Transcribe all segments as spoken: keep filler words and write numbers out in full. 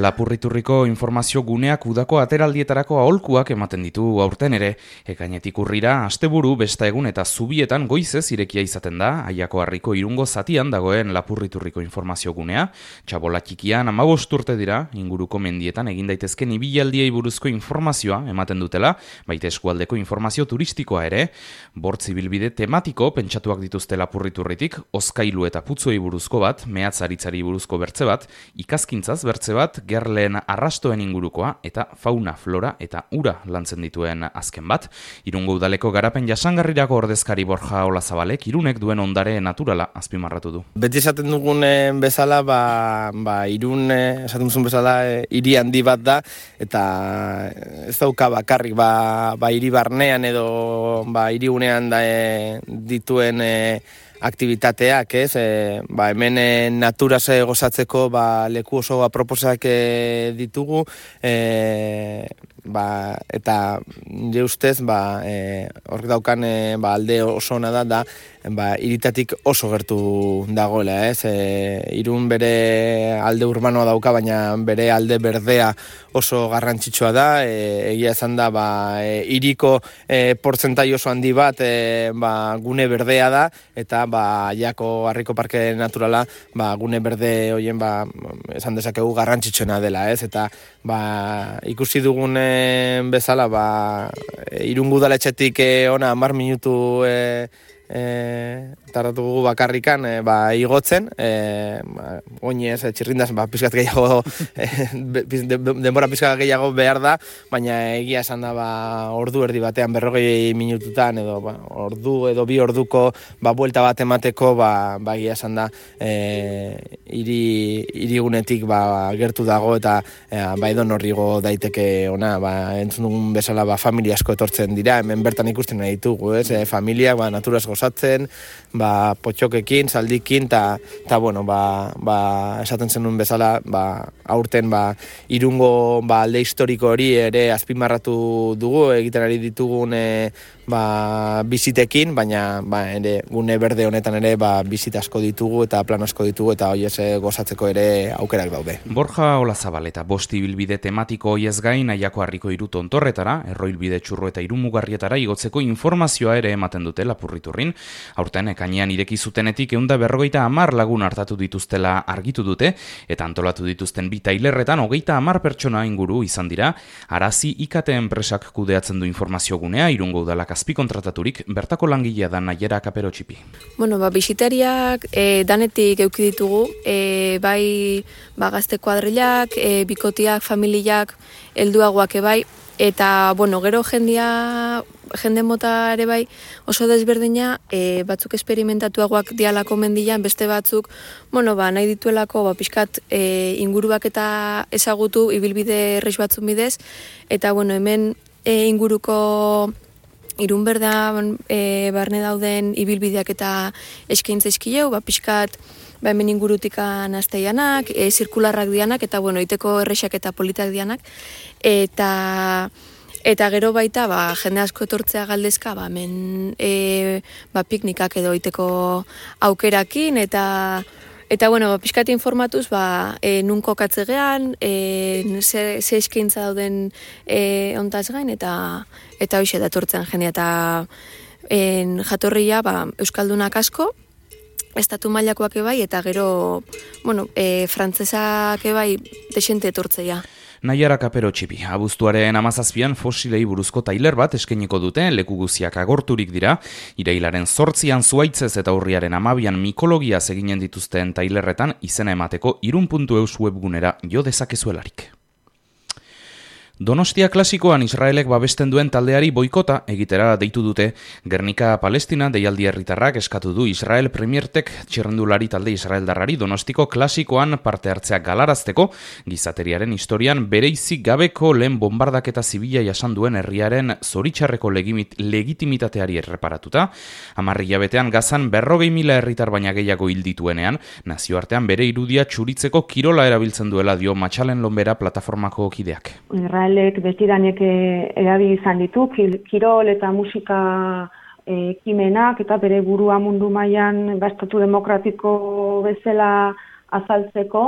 Lapurriturriko informazio guneak udako ateraldietarako aholkuak ematen ditu aurten ere. Ekainetik urrira, asteburu, besta egun eta zubietan goizez irekia izaten da, Aiako Harriko irungo zatian dagoen Lapurriturriko informazio gunea. Txabola txikian hamabost urte dira, inguruko mendietan egin daitezken ibilaldiei buruzko informazioa ematen dutela, baita eskualdeko informazio turistikoa ere. Bortz ibilbide tematiko pentsatuak dituzte Lapurriturritik, hozkailu eta putzuei buruzko bat, mehatzaritzari buruzko bertze bat, ikaskintzaz bertze bat, gerleen arrastoen ingurukoa eta fauna, flora eta ura lantzen dituen azken bat. Irungo udaleko garapen jasangarrirako ordezkari Borja Olazabalek Irunek duen ondare naturala azpimarratu du. Beti esaten dugun bezala, ba, ba, Irun esaten duzun bezala hiri handi bat da, eta ez dauka bakarrik ba, ba, hiri barnean edo ba, hirigunean da e, dituen e, aktibitateak, ez? E, ba, hemen e, naturaz gozatzeko ba, leku oso aproposak e, ditugu, e, ba, eta nire ustez ba, e, horrek daukan e, ba, alde oso ona da, da ba, iritatik oso gertu dagoela, ez? E, Irun bere alde urbanoa dauka, baina bere alde berdea oso garrantzitsua da, e, egia esan da, ba, e, iriko e, portzentai oso handi bat e, ba, gune berdea da, eta ba, Aiako Harriko Parke Naturala ba, gune berde horien ba, esan dezakegu garrantzitsuena dela, ez? Eta ba, ikusi dugun bezala, ba, Irungo udaletxetik e, ona hamar minutu e, E, tardatu gugu bakarrikan e, ba, igotzen, e, ba, oinez, e, txirrindaz, ba, pizkat gehiago, e, de, denbora pizkat gehiago behar da, baina egia esan da, ba, ordu erdi batean, berrogei minututan, edo ba, ordu edo bi orduko ba, buelta bat emateko, ba, ba egia esan da, e, iri, irigunetik ba, gertu dago, eta e, ba, edo norrigo daiteke ona, ba, entzun dugun bezala, ba, familia asko etortzen dira, hemen bertan ikusten nahi ditugu, ez, e, familia, ba, naturaz gozatzen, ba, potxokekin, saldikin, eta, bueno, ba, ba, esaten zenuen bezala, ba, aurten, ba, Irungo ba, alde historiko hori ere azpimarratu dugu, egiten ari ditugun e, ba, bizitekin, baina ba, ere, gune berde honetan ere ba, bizit asko ditugu eta plan asko ditugu, eta hoi ez gozatzeko ere aukerak daude. Borja Olazabal eta bost ibilbide tematiko hoiez gain, Aiako Harriko hiru tontorretara, Erroilbide Txurru eta Irumugarrietara igotzeko informazioa ere ematen dute Lapurriturrin. Aurten ekainean ireki zutenetik ehunda berrogeita hamar lagun hartatu dituztela argitu dute, eta antolatu dituzten bi tailerretan hogeita hamar pertsona inguru izan dira. Arazi I K T enpresak kudeatzen du informazio gunea, Irungo udalak azpikontrataturik, bertako langilea da Naiera Kaperotxipi. Bueno, ba, bisitariak e, danetik euki ditugu, e, bai ba, gazte kuadrilak, e, bikotiak, familiak, helduagoak ebai, eta, bueno, gero jendia, jende mota ere bai oso desberdina, e, batzuk esperimentatuagoak dialako mendian, beste batzuk, bueno, ba, nahi dituelako, ba, pixkat e, inguruak eta ezagutu, ibilbide errex batzun bidez, eta, bueno, hemen e, inguruko Irun berda e, barne dauden ibilbideak eta eskaintza eskileu, ba, pixkat, ba, hemen ingurutikan azteianak, e, zirkularrak dianak, eta, bueno, iteko errexak eta politak dianak, eta... Eta gero baita, ba, jende asko etortzea galdezka, ba, hemen e, ba, piknikak edo iteko aukerakin, eta, eta bueno, ba, pixkat informatuz, ba, e, nun kokatzegean, e, ze, ze eskaintza dauden e, ontaz gain, eta eta hoxe da etortzen jendea, eta en, jatorria ba, euskaldunak asko, estatu mailakoak ebai, eta gero, bueno, e, frantzesak ebai desente etortzea. Naiera Kaperotxipi, abuztuaren hamazazpian fosilei buruzko tailer bat eskainiko dute, leku guziak agorturik dira, irailaren zortzian zuaitzez eta urriaren hamabian mikologiaz eginen dituzten tailerretan izena emateko irun puntu eus webgunera jo dezakezuelarik. Donostia klasikoan Israelek babesten duen taldeari boikota egitera deitu dute. Gernika Palestina deialdi herritarrak eskatu du Israel Premiertek txirrendulari talde israeldarrari Donostiko klasikoan parte hartzea galarazteko, gizateriaren historian bereizik gabeko lehen bombardaketa zibila jasan duen herriaren zoritxarreko legimit, legitimitateari erreparatuta. Hamar hilabetean Gazan berrogei mila herritar baina gehiago hil dituenean, nazioartean bere irudia txuritzeko kirola erabiltzen duela dio Matxalen Lonbera plataformako kideak. Israelek betidanek erabili izan ditu, kirol eta musika ekimenak eta bere burua mundu mailan estatu demokratiko bezala azaltzeko,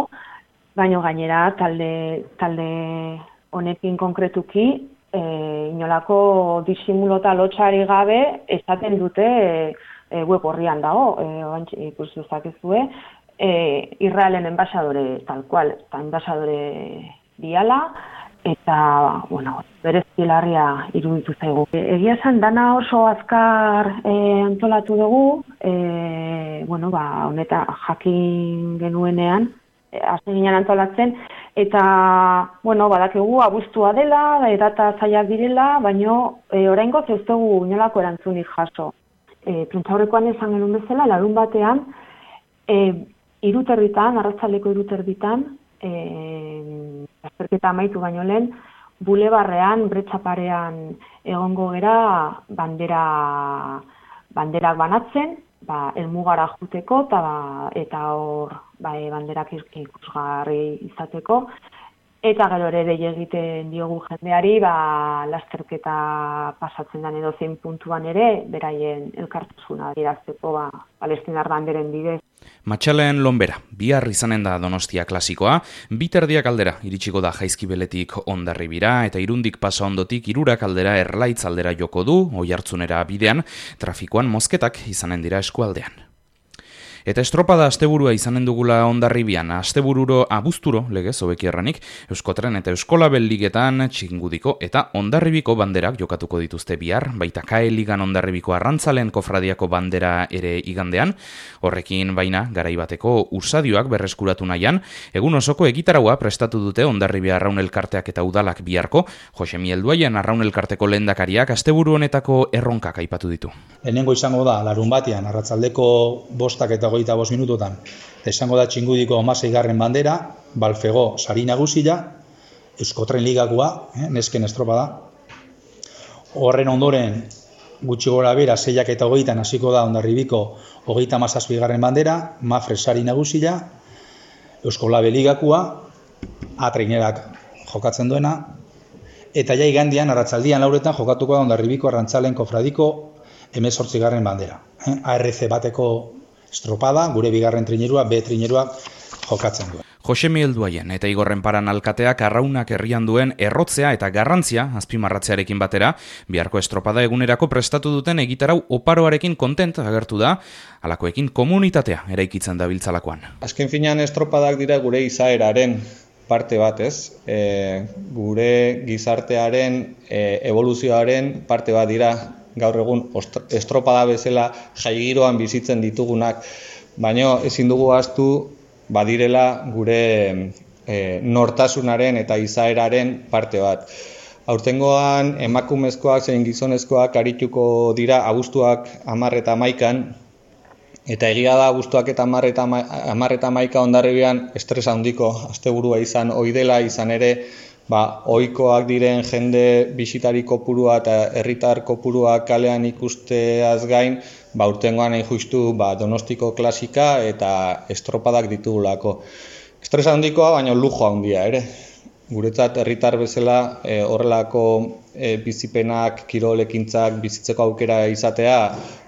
baina gainera talde, talde honekin konkretuki e, inolako disimulo eta lotxari gabe esaten dute e, e, web horrian dago, e, ikus dezakezue, e, Israelen enbaxadore tal cual, eta enbaxadore diala, eta, bueno, berezki larria iruditu zaigu. Egia esan, dana oso azkar e, antolatu dugu, e, bueno, ba, honeta jakin genuenean, e, hasi ginen antolatzen, eta, bueno, badakigu abuztua dela, data zailak direla, baino e, oraingoz ez dugu inolako erantzunik jaso. E, Prentsaurrekoan esan genuen bezala, larun batean, e, iruterritan, arratsaldeko iruterritan, e, azterketa amaitu baino lehen, bulebarrean, bretxaparean egongo gera bandera, banderak banatzen, ba, elmugara juteko eta, ba, eta hor ba, banderak ikusgarri izateko. Eta gero ere dei egiten diogu jendeari, ba, lasterketa pasatzen den edo zein puntuan ere, beraien elkartasuna adierazteko ba, palestinar banderen bidez. Matxalen Lonbera, bihar izanen da Donostia klasikoa, bi terdiak aldera iritsiko da Jaizkibeletik Hondarribira eta Irundik pasa ondotik Hirurak aldera Erlaitz aldera joko du, Oiartzunera bidean, trafikoan mozketak izanen dira eskualdean. Eta estropada asteburua izanen dugula Hondarribian, astebururo abuzturo, legez hobeki erranik, Euskotren eta Euskolabel ligetan Txingudiko eta Hondarribiko banderak jokatuko dituzte bihar, baita Kae ligan Hondarribiko arrantzalen kofradiako bandera ere igandean, horrekin baina garaibateko usadioak berreskuratu nahian, egun osoko egitaraua prestatu dute Hondarribia Arraun Elkarteak eta Udalak biharko, Josemi Elduaien Arraun Elkarteko lehendakariak asteburu honetako erronkak aipatu ditu. Lehenengo izango da, larun batean, arratsaldeko bostak eta hogeita bost minututan, izango da Txingudiko hamaseigarren bandera, Balfego sari nagusia, Euskotren ligakoa, eh, nesken estropada. Horren ondoren, gutxi gora bera, seiak eta hogeitan hasiko da Hondarribiko hogeita hamazazpigarren bandera, Mafre sari nagusia, Euskolabel ligakoa, Atreinerak jokatzen duena, eta ja igandean, arratzaldian lauretan jokatuko da Hondarribiko arrantzalen kofradiko hemezortzigarren bandera. Eh, A R C bateko estropada, gure bigarren trinerua, B trinerua jokatzen duen. Josemi Elduaien eta Igorren Paran alkateak arraunak herrian duen errotzea eta garrantzia azpimarratzearekin batera, biharko estropada egunerako prestatu duten egitarau oparoarekin kontent agertu da, halakoekin komunitatea eraikitzen dabiltzalakoan. Azken finean estropadak dira gure izaeraren parte bat, ez? E, gure gizartearen e, evoluzioaren parte bat dira, gaur egun estropada bezala jaigiroan bizitzen ditugunak, baina ezin dugu ahaztu badirela gure e, nortasunaren eta izaeraren parte bat. Aurtengoan emakumezkoak zein gizonezkoak arituko dira abuztuak hamar eta hamaikan, eta egia da abuztuak eta hamar eta hamaika Hondarribian estres handiko asteburua izan ohi dela, izan ere ba, ohikoak diren jende bisitari kopurua eta herritar kopurua kalean ikusteaz gain, ba, urtengoan hain justu ba, Donostiko klasika eta estropadak ditugulako. Estresa handikoa, baina lujo handia ere. Guretzat herritar bezala e, horrelako e, bizipenak, kirolekintzak bizitzeko aukera izatea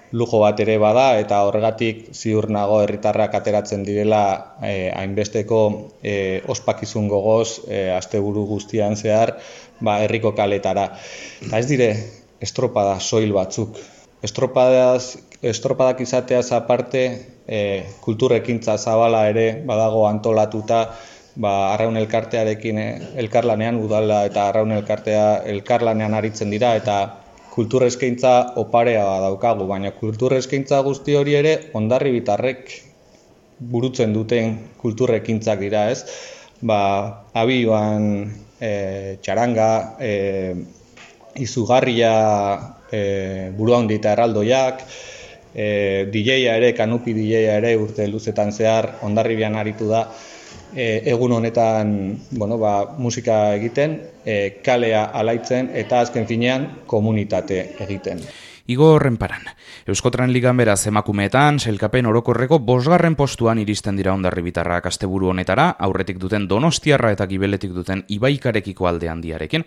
lujo bat ere bada, eta horregatik ziur nago herritarrak ateratzen direla eh, hainbesteko eh, ospakizun gogoz eh, asteburu guztian zehar ba, herriko kaletara. Eta ez dire estropada soil batzuk. Estropadaz, estropadak izateaz aparte eh, kulturrekintza zabala ere badago antolatuta, ba, Arraun Elkartearekin eh, elkarlanean, udala eta Arraun Elkartea elkarlanean aritzen dira, eta kulturreskaintza oparea daukagu, baina kulturreskaintza guzti hori ere Hondarribitarrek burutzen duten kulturrekintzak dira, ez? Ba, abioan e, txaranga, e, izugarria e, burua handi eta erraldoiak, e, D J-a ere, kanupi D J-a ere urte luzetan zehar Hondarribian aritu da, E, egun honetan bueno, ba, musika egiten, e, kalea alaitzen eta azken finean komunitate egiten. Igor Renparan. Euskotren Ligan beraz emakumeetan, sailkapen orokorreko bosgarren postuan iristen dira Hondarribitarrak asteburu honetara, aurretik duten Donostiarra eta gibeletik duten Ibaikarekiko alde handiarekin.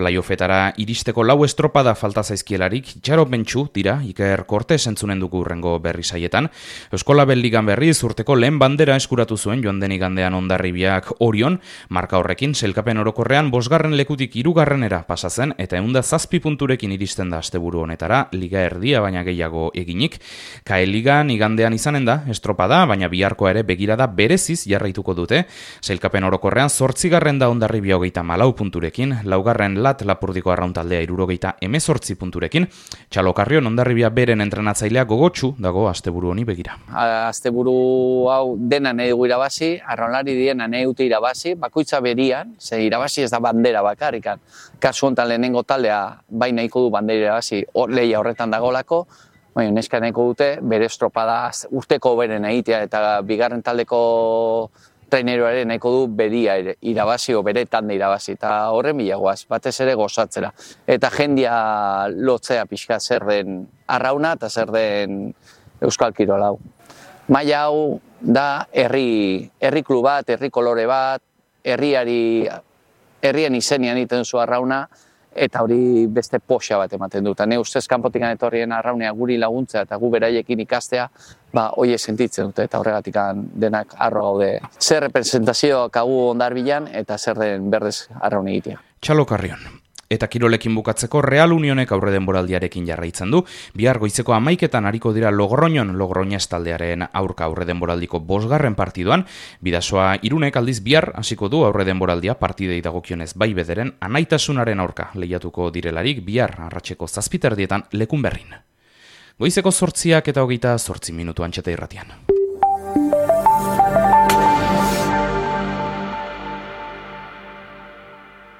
Playoffetara iristeko lau estropada falta zaizkielarik, itxaropentsu dira Iker Kortes entzunen dugu urrengo berri saietan. Euskolabel Ligan berriz urteko lehen bandera eskuratu zuen joan den igandean Hondarribiak Orion, marka horrekin sailkapen orokorrean bosgarren lekutik hirugarrenera pasa zen eta ehun eta zazpi punturekin iristen da asteburu honetara, liga erdia baina gehiago eginik. Kae Ligan igandean izanen da estropada, baina biharkoa ere begirada bereziz jarraituko dute. Sailkapen orokorrean zortzigarren da Hondarribia hogeita malau punturekin, laugarren Lat Lapurdiko arrauntaldea hirurogeita hemezortzi punturekin. Txalokarrion Hondarribia beren entrenatzailea gogotsu dago asteburu honi begira. Asteburu hau dena nahi dugu irabazi, arraunlari diena nahi dute irabazi, bakoitza berian, ze irabazi ez da bandera bakarrikan. Kasu honetan lehenengo taldea bai nahiko du bandera irabazi, lehia horretan dagolako, baina neska nahiko dute bere estropada urteko beren egitea eta bigarren taldeko traineroare nahiko du beria irabazi o bere tanda irabazi eta horren bilagoaz, batez ere gozatzera. Eta jendia lotzea pixka zer den arrauna eta zer den euskal kirol hau. Maila hau da herri, herri klub bat, herri kolore bat, herriari, herrien izenian egiten zu arrauna, eta hori beste poxa bat ematen dut. Ne ustez kanpotik etorrien arraunea guri laguntza eta gu beraiekin ikastea, ba hoe sentitzen dute eta horregatik denak harro gaude. Zer representazioak hagu Hondarribian eta zer den berdez arraun egitea. Txalokarrion. Eta kirolekin bukatzeko Real Unionek aurre denboraldiarekin jarraitzen du. Bihar goizeko hamaiketan ariko dira Logroñon, Logroñez taldearen aurka aurre denboraldiko bosgarren partiduan. Bidasoa Irunek aldiz bihar hasiko du aurre denboraldia partidei dagokionez bai bederen anaitasunaren aurka lehiatuko direlarik bihar arratseko zazpiterdietan Lekun Berrin. Goizeko zortziak eta hogeita zortzi minutu Antxeta Irratian.